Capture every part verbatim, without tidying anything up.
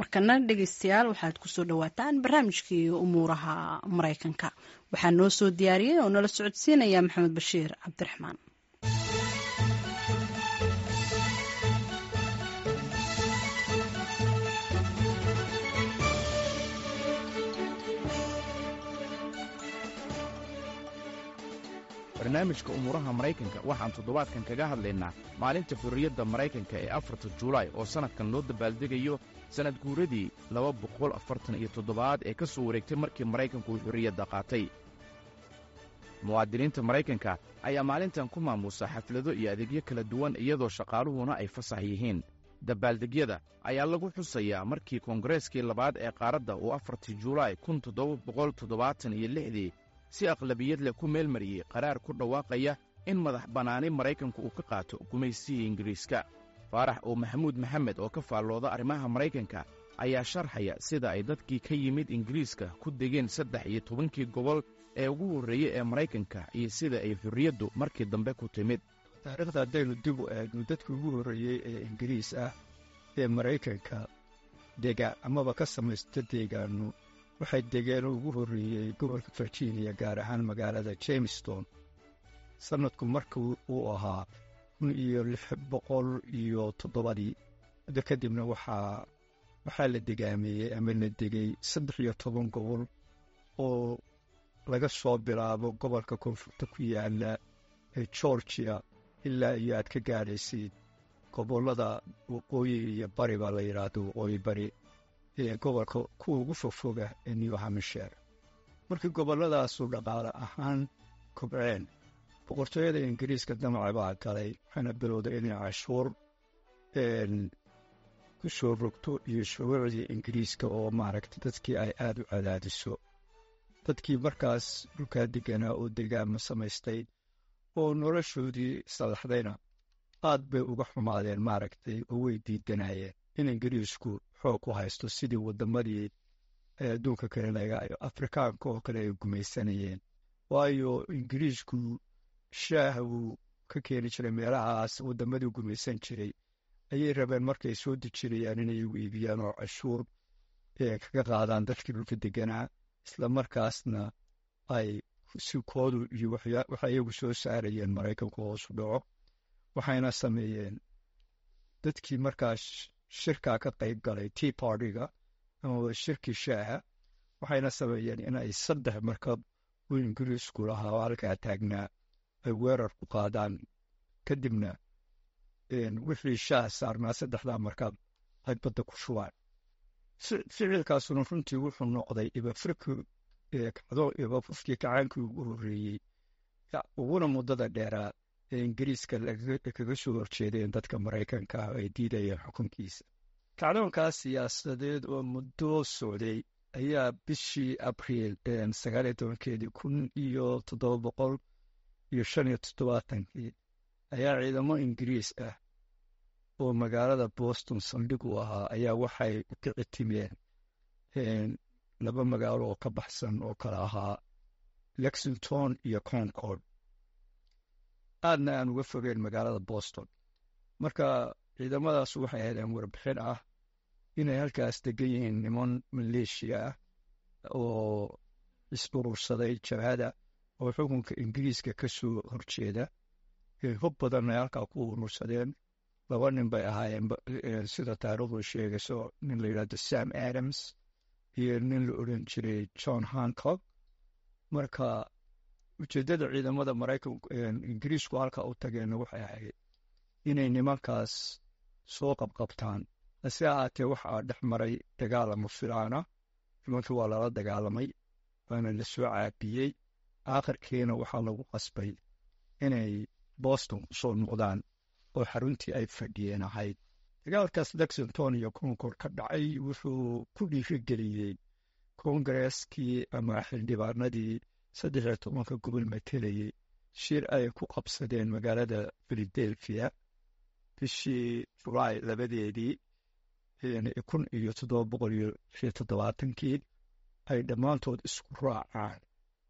Markana dhegeystayaal, waxaad kusoo dhawaataan barnaamijkii Umuuraha Maraykanka. Waxaa noo soo diyaariyey oo nala socodsiinaya Maxamed Bashiir Cabdiraxmaan. Barnaamijka Umuuraha Maraykanka waxaan toddobaadkan kaga hadlaynaa maalinta xorriyadda Maraykanka ee afarta Juulaay, oo sannadkan loo dabaaldegayo sannad guuradii laba boqol afartan iyo toddobaad ee ka soo wareegtay markii Maraykanku uu xorriyadda qaatay. Muwaadiniinta Maraykanka ayaa maalintan ku maamuusa xaflado iyo adeegyo kala duwan, iyadoo shaqaaluhuna ay fasax yihiin. Dabaaldegyada ayaa lagu xusayaa markii Koongareskii labaad ee qaaradda uu afartii Juulaay kun toddoba boqol toddobaatan iyo lixdii si aqlabiyad leh ku meelmariyey qaraar ku dhawaaqaya in madax bannaani Maraykanku uu ka qaato gumaysihii Ingiriiska. Faarax oo Maxamuud Maxamed oo ka faallooda arrimaha Maraykanka ayaa sharxaya sida ay dadkii ka yimid Ingiriiska ku degeen saddex iyo tobankii gobol ee ugu horreeyey ee Maraykanka iyo sida ay xorriyaddu markii dambe ku timid. Taariikhda haddaynu dib u eegno, dadkii ugu horreeyey ee Ingiriis ah ee Maraykanka dega amaba ka samaysta deegaano waxay degeen ugu horreeyey gobolka Virginia, gaar ahaan magaalada Jamestown, sannadku markii uu ahaa kun iyo lix boqol iyo toddobadii. Muddo kadibna waxaa waxaa la degaameeyey ama la degay saddex iyo toban gobol, oo laga soo bilaabo gobolka koonfurta ku yaala ee Georgia ilaa iyo aad ka gaadhaysid gobollada waqooyi iyo bari baa la yidhaahdo, waqooyi bari ee gobolka kuwa ugu fogfoga ee New Hampshire. Markii gobolladaasu dhaqaale ahaan kobceen, boqortooyada Ingiriiska damaca baa galay, waxayna bilowday inay cashuur ku soo rogto iyo shuruucdii Ingiriiska oo maaragtay dadkii ay aada u cadaadiso. Dadkii markaas dhulkaa deganaa oo degaama samaystay oo noloshoodii salaxdayna aad bay uga xumaadeen maaragtay, oo way diidanayeen in Ingiriisku xoog ku haysto, sidii waddamadii adduunka kale laga Afrikaanka oo kale ay gumaysanayeen, waayo Ingiriisku shaaha wuu ka keeni jiray meelahaas waddamadii gumaysan jiray. Ayay rabeen markay soo dejinayaan inay u iibiyaan oo cashuur kaga qaadaan dadkii dhulka deganaa, isla markaasna ay si koodu iyo waxa iyagu soo saarayeen Maraykanku hoosu dhaco. Waxayna sameeyeen dadkii markaas shirkaa ka qayb galay, Tea Partyga ama shirkii shaaha, waxayna sameeyeen inay saddex markab uu Ingiriisku lahaa oo halkaa taagnaa ay weerar ku qaadaan, kadibna wixii shaah saarnaa saddexdaa markab ay badda ku shubaan. Ficilkaasuna runtii wuxuu noqday ibafurki kacdo, ibafurkii kacaankii ugu horreeyey uguna muddada dheeraa ee Ingiriiska kaga soo horjeedeen dadka Maraykanka ah ay diidayeen xukunkiisa. Kacdoonkaas siyaasadeed oo muddo socday ayaa bishii Abriil sagaal iyo tobankeedii kun iyo toddoba boqol iyo shan iyo toddobaatankii ayaa ciidamo Ingiriis ah oo magaalada Boston saldhig u ahaa ayaa waxay u kici timeen laba magaalo oo ka baxsan oo kala ahaa Lexington iyo Concord, aadna aan uga fogeen magaalada Boston. Marka ciidamadaas waxay heleen warbixin ah inay halkaas degan yihiin niman maleeshiya ah oo is-urursaday jabhada oo xukunka Ingiriiska ka soo horjeeda, hub badan ay halkaa ku urursadeen. Laba nin bay ahaayeen sida taariikhdu sheegayso, nin la yidhahdo Sam Adams iyo nin la odhan jiray John Hancock. Marka ujeeddada ciidamada Maraykanku Ingiriisku halkaa u tageenna waxay ahayd inay nimankaas soo qabqabtaan. Hase ahaatee, waxaa dhex maray dagaal ama filaana. Nimankii waa lala dagaalamay, waana la soo caabiyey. Aakhirkiina waxaa lagu qasbay inay Boston kusoo noqdaan oo xaruntii ay fadhiyeen ahayd. Dagaalkaas Lexington iyo Concord ka dhacay wuxuu ku dhiirigeliyey koongareskii ama xildhibaanadii saddex iyo tobanka gobol matelayey shir ay ku qabsadeen magaalada Philadelphia bishii Julaay labadeedii kun iyo toddoba boqol iyo lix iyo toddobaatankii ay dhammaantood isku raacaan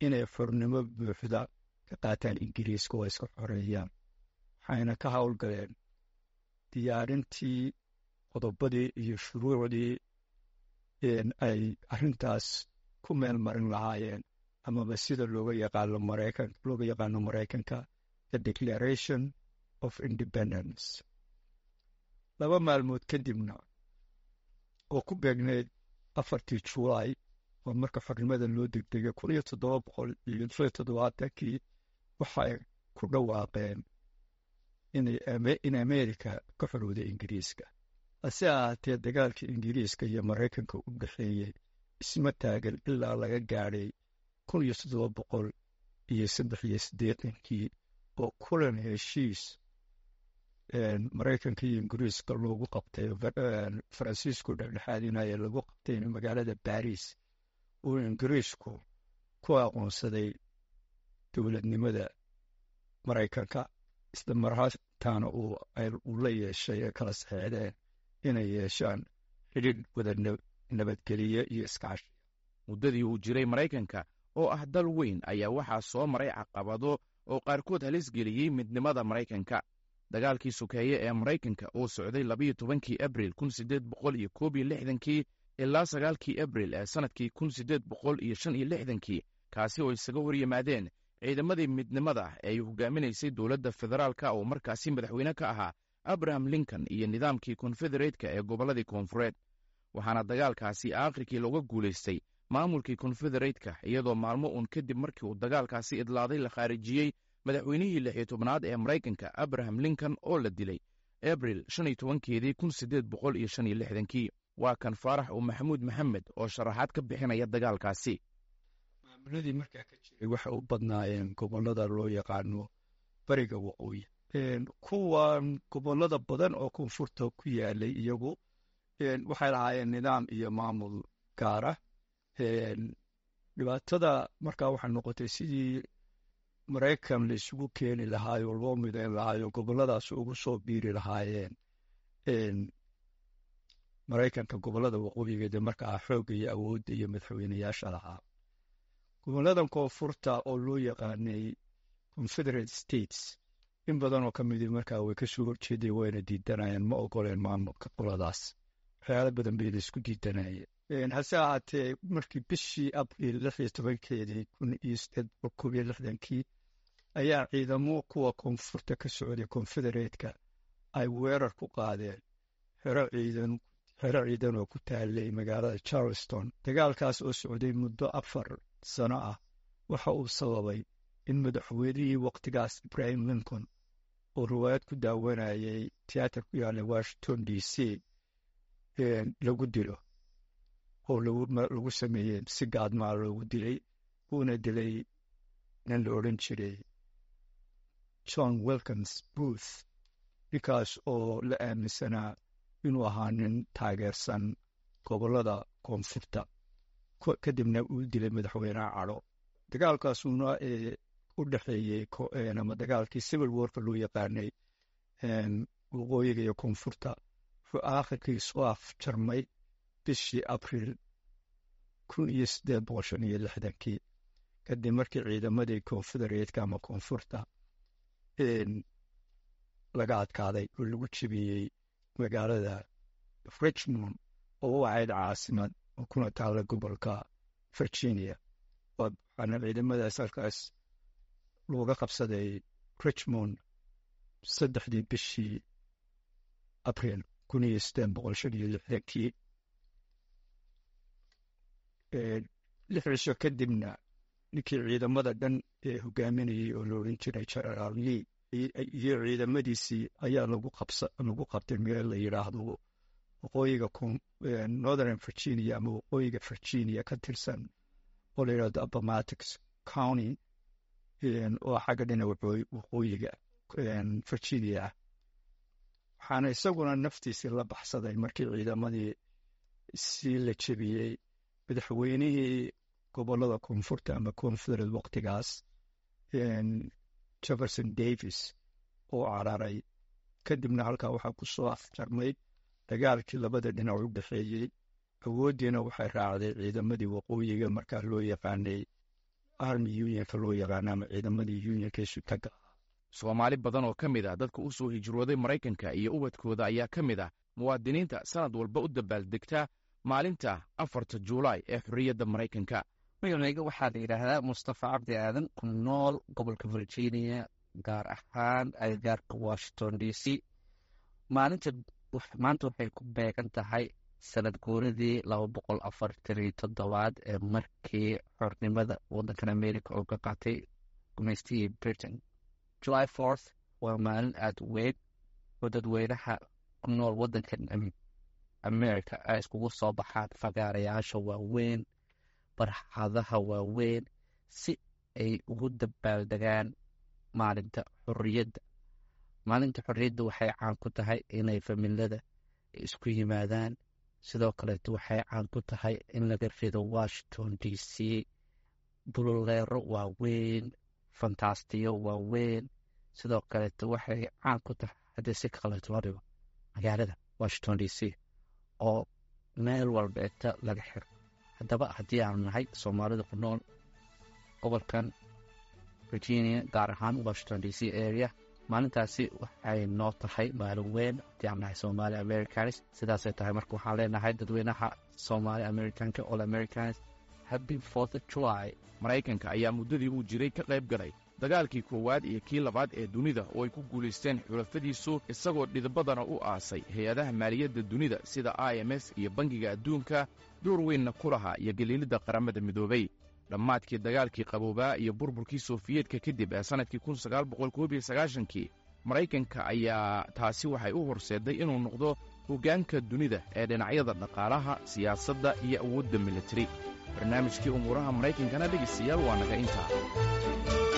inay xornimo buuxda ka qaataan Ingiriiska oo iska xoreeyaan. Waxayna ka howlgaleen diyaarintii qodobadii iyo shuruucdii Ay arrintaas ku meel marin lahaayeen, amaba sida looga yaqaano Maraykan looga yaqaano Maraykanka, the Declaration of Independence. Laba maalmood kadibna, oo ku beegneyd afartii Juulaay, oo marka xornimada loo degdegay, kun iyo toddoba boqol iyo lix iyo toddobaatankii, waxay ku dhawaaqeen in America ka xorowday Ingiriiska. Hase ahaatee, dagaalkii Ingiriiska iyo Maraykanka u dhexeeyey isma taagan ilaa laga gaadhay kun iyo toddoba boqol iyo saddex iyo siddeetankii, oo kulan heshiis Maraykanka iyo Ingiriiska loogu qabtay, Faransiisku dhexdhexaadinaya, lagu qabtay magaalada Baris, uu Ingiriisku ku aqoonsaday dowladnimada Maraykanka, isla marhaataana uu la yeeshay ee kala saxeexdeen inay yeeshaan xidhiidh wada nabadgeliye iyo iskaashi. Muddadii uu jiray Maraykanka, oo ah dal weyn, ayaa waxaa soo maray caqabado oo qaarkood halis geliyey midnimada Maraykanka. Dagaalkii sokeeye ee Maraykanka oo socday labiyo tobankii Abril kun siddeed boqol iyo koob iyo lixdankii ilaa sagaalkii Abril ee sannadkii kun siddeed boqol iyo shan iyo lixdankii, kaasi oo isaga hor yimaadeen ciidamadii midnimada ee ay hogaaminaysay dowladda federaalka oo markaasi madaxweyne ka ahaa Abraham Lincoln iyo nidaamkii Konfedereetka ee gobolladii koonfureed. Waxaana dagaalkaasi aakhirkii looga guulaystay maamulkii Konfedereetka, iyadoo maalmo uun kadib markii uu dagaalkaasi idlaaday la khaarijiyey madaxweynihii lix iyo tobnaad ee Maraykanka, Abraham Lincoln, oo la dilay Abril shan iyo tobankeedii kun siddeed boqol iyo shan iyo lixdankii. Waa kan Faarax uu Maxamuud Maxamed oo sharaxaad ka bixinaya dagaalkaasi. Maamuladii markaa ka jiray waxay u badnaayeen gobollada loo yaqaano bariga waqooyi. Kuwan gobollada badan oo koonfurta ku yaalay iyagu waxay lahaayeen nidaam iyo maamul gaara. Dhibaatada markaa waxay noqotay sidii Maraykan la isugu keeni lahaayo, loo midayn lahaayo, gobolladaas ugu soo biiri lahaayeen Maraykanka, gobollada waqooyigeeda markaa xoogga iyo awoodda iyo madaxweyneyaasha lahaa. Gobolladan koonfurta oo loo yaqaanay Confederate States, in badan oo ka midii markaa way kasoo horjeeday, wayna diidanayeen, ma ogoleen maamulka qoladaas. Waxyaala badan bay la isku diidanayeen. Hase ahaatee, markii bishii Abriil lix iyo tobankeedii kun iyo sideed boqol koob iyo lixdankii ayaa ciidamo kuwa koonfurta ka socday, Confederate-ka, ay weerar ku qaadeen xero ciidan xero ciidan oo ku taalay magaalada Charleston. Dagaalkaas oo socday muddo afar sano ah waxa uu sababay in madaxweynihii waqtigaas, Abraham Lincoln, oo riwaayad ku daawanayay tiyaatar ku yaalla Washington D C, lagu dilo, oo lagu sameeyey si gaadmaa loogu dilay, wuuna dilay nin la odhan jiray John Wilkins Booth, ninkaas oo la aaminsanaa inuu ahaa nin taageersan gobollada koonfurta. Kadibna uu dilay madaxweynaha cadho. Dagaalkaasuna ee u dhexeeyey, ama dagaalkii Civil Warka loo yaqaanay, waqooyiga iyo koonfurta, wuxuu aakhirkii soo afjarmay bishii Abriil kun iyo siddeed boqol shan iyo lixdankii, kadib markii ciidamadii Confederate-ka ama koonfurta laga adkaaday oo lagu jebiyey magaalada Richmond, oo u ahayd caasimad oo kuna taalla gobolka Virginia. Waxaana ciidamadaas halkaas looga qabsaday Richmond saddexdii bishii Abriil kun iyo siddeed boqol shan iyo lixdankii. Lix cisho kadibna ninkii ciidamada dhan ee hogaaminayay oo la odhan jiray Generaal Lee iyo ciidamadiisii ayaa lagu qabsa lagu qabtay meel la yidhaahdo waqooyiga Northern Virginia ama waqooyiga Virginia ka tirsan oo la yidhahdo Appomattox County, oo xagga dhinaca waqooyiga Virginia ah. Waxaana isaguna naftiisii la baxsaday markii ciidamadii si la jebiyey madaxweynihii gobollada koonfurta ama Confederate waqtigaas, Jefferson Davis, oo cararay. Kadibna halkaa waxaa ku soo afjarmay dagaalkii labada dhinac u dhexeeyey. Awooddiina waxay raacday ciidamadii waqooyiga, markaa loo yaqaanay Army Unionka loo yaqaana, ama ciidamadii Unionka isutaga. Soomaali badan oo ka mid ah dadka u soo hijrooday Maraykanka iyo ubadkooda ayaa ka mid ah muwaadiniinta sanad walba u dabaaldegta maalinta afarta Juulaay ee xorriyadda Maraykanka. Magacayga waxaa la yidhaahdaa Mustafa Cabdi Aadan, ku nool gobolka Virginia, gaar ahaan agagaarka Washington D C. Maalinta maanta waxay ku beegan tahay sanad guuradii laba boqol afartan iyo toddobaad ee markii xornimada waddankan America oo ka qaatay gumaystihii Britain. July fourth waa maalin aada u weyn oo dadweynaha ku nool waddankan America ay iskugu soo baxaan fagaarayaasha waaweyn, barxadaha waaweyn, si ay ugu dabaaldegaan maalinta xorriyadda. Maalinta xorriyadda waxay caan ku tahay inay familada isku yimaadaan. Sidoo kaleeto waxay caan ku tahay in laga rido Washington D C bululeero waaweyn, fantaastiyo waaweyn. Sidoo kaleeto waxay caan ku tahay, haddii si kaleeto loo dhigo, magaalada Washington D C oo meel walbeeta laga xiro. Haddaba haddii aanu nahay Soomaalida ku nool gobolkan Virginia, gaar ahaan Washington D C area, maalintaasi waxay noo tahay maalin weyn haddii aan nahay Somali Americans. Sidaasay tahay marka waxaan leenahay dadweynaha Somali Americanka, all Americans, happy fourth of July. Maraykanka ayaa muddadii uu jiray ka qayb galay dagaalkii koowaad iyo kii labaad ee dunida oo ay ku guulaysteen xulafadiisu, isagoo dhidibadana u aasay hay-adaha maaliyadda dunida sida I M F iyo Bangiga Adduunka, door weynna ku lahaa iyo galiilidda Qaramada Midoobay. Dhammaadkii dagaalkii qaboobaa iyo burburkii Sofiyeedka kadib ee sannadkii kun sagaal boqol koob iyo sagaashankii, Maraykanka ayaa taasi waxay u horseedday inuu noqdo hoggaanka dunida ee dhinacyada dhaqaalaha, siyaasadda iyo awoodda militari. Barnaamijkii umuuraha Maraykankana, dhegaystayaal, waa naga intaa.